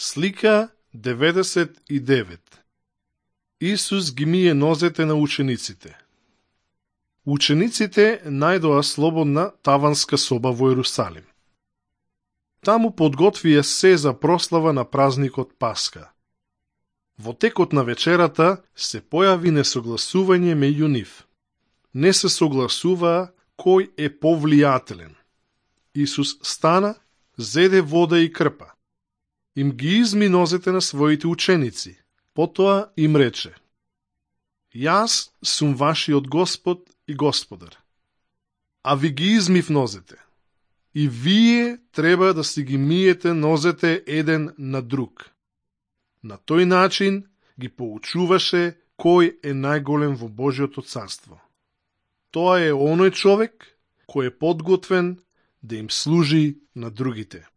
Слика 99. Исус ги мие нозете на учениците. Учениците најдоа слободна таванска соба во Ерусалим. Таму подготвија се за прослава на празникот Пасха. Во текот на вечерата се појави несогласување меѓу нив. Не се согласуваа кој е повлијателен. Исус стана, зеде вода и крпа. Им ги изми нозете на своите ученици. Потоа им рече: Јас сум вашиот Господ и Господар. А ви ги измив нозете. И вие треба да си ги миете нозете еден на друг. На тој начин ги поучуваше кој е најголем во Божјото царство. Тоа е оној човек кој е подготвен да им служи на другите.